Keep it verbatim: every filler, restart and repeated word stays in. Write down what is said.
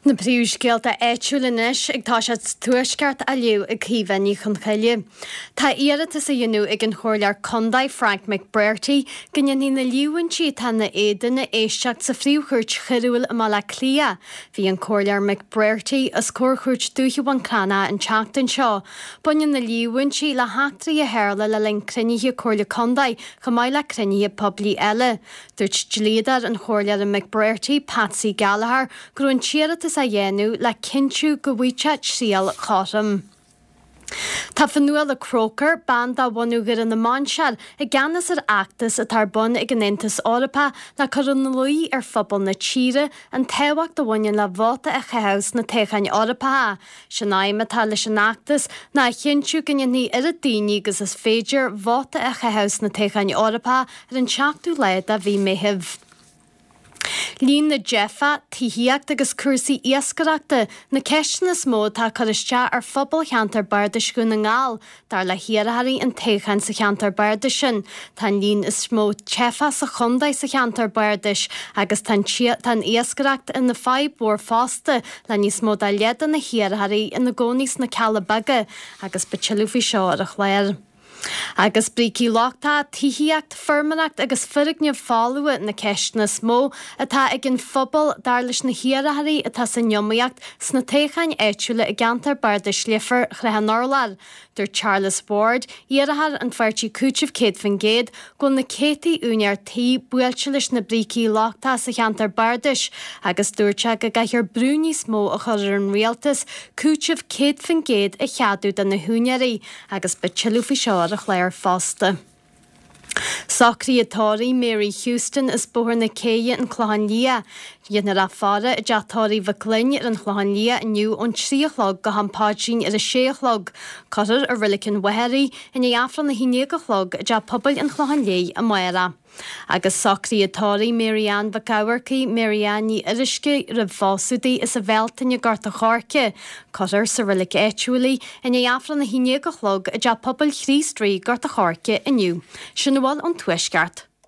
Na príomhscéalta áitiúla anois ag toiseacht sa Tuaisceart á léamh ag Caoimhe Ní Chonchoille. Tá iarratas á dhéanamh ag an Chomhairleoir Contae Frank McBrearty go ndéanfaí na líomhaintí atá ina éadan a éisteacht sa Phríomh-Chúirt Choiriúil i mBaile Átha Cliath. Bhí an Comhairleoir McBrearty os comhair Chúirt Dúiche Mhuincreanach an tseachtain seo. Baineann na líomhaintí le heachtraí a tharla le linn cruinnithe Comhairle Contae chomh maith le cruinnithe poiblí eile. Dúirt dlíodóir an Chomhairleora McBrearty, Patsy Gallagher, go raibh an t-iarratas á dhéanamh le cinntiú go bhfaighidh sé triail chothrom. Tá Fionnuala Croker, bean de bhunadh Dhoire na Mainsear, i gceannas ar fheachtas atá ar bun ag an Aontas Eorpach le cur ina luí ar phobal na tíre an tábhacht a bhaineann le vóta a chaitheamh sna toghcháin Eorpacha. Sin aidhm atá leis an fheachtas ná a chinntiú go ndéanfaidh oiread daoine agus is féidir vóta a chaitheamh sna toghcháin Eorpacha ar an seachtú lá de mhí Meitheamh. Líon na dteifeach, tithíocht agus cúrsaí iascaireachta na ceisteanna is mó atá ag cur isteach ar phobal cheantar Bardais Dhún na nGall, dar le hiarrthóirí an toghcháin sa cheantar bardais sin. Tá an líon is mó teifeach sa chontae sa cheantar bardais agus tá an iascaireacht ina fadhb mhór fosta le níos mó ná leath de na hiarrthóirí ina gcónaí sna Cealla Beaga agus beidh tuilleadh faoi seo ar an chlár. Agus brící lochtacha, tithíocht, feirmeoireacht agus foirgnimh folmha na ceisteanna is mó atá ag an phobal dar leis na hiarrthóirí atá san iomaíocht sna toghcháin áitiúla i gceantar Bardais Leifear Shrath an Urláir. Dúirt Charles Ward, iarrthóir an pháirtí Cúiteamh céad faoin gcéad, go bhfuil na céadtaí úinéir tí buailte leis na brící lochtacha sa cheantar bardais agus dúirt sé go gcaithfear brú níos mó a chur ar an rialtas cúiteamh céad faoin gcéad a cheadú do na húinéirí agus beidh tuilleadh faoi seo ar an chlár fosta. Socruithe tórraimh Mary Houston as Bóthar na Céidhe an Clochán Liath. Déanfar í a fhaire i dteach tórraimh Mhic Fhloinn ar an Chlochán Liath inniu ón trí a chlog go ham paidrín ar a sé a chlog. Cuirfear i Reilig an Mhachaire í i ndiaidh Aifreann a haon déag a chlog i dteach pobail an Chlocháin Léith amárach. Agus socruithe tórraimh Mary Ann Mhic Eamharcaigh, Mary Ann Ní Fhuirisce roimh phósadh di as an Bhealtaine Gort a' Choirce. Cuirfear sa reilig áitiúil í i ndiaidh Aifreann a haon déag a chlog i dteach pobail Chríost Rí Gort a' Choirce inniu. Sin a bhfuil ón Tuaisceart.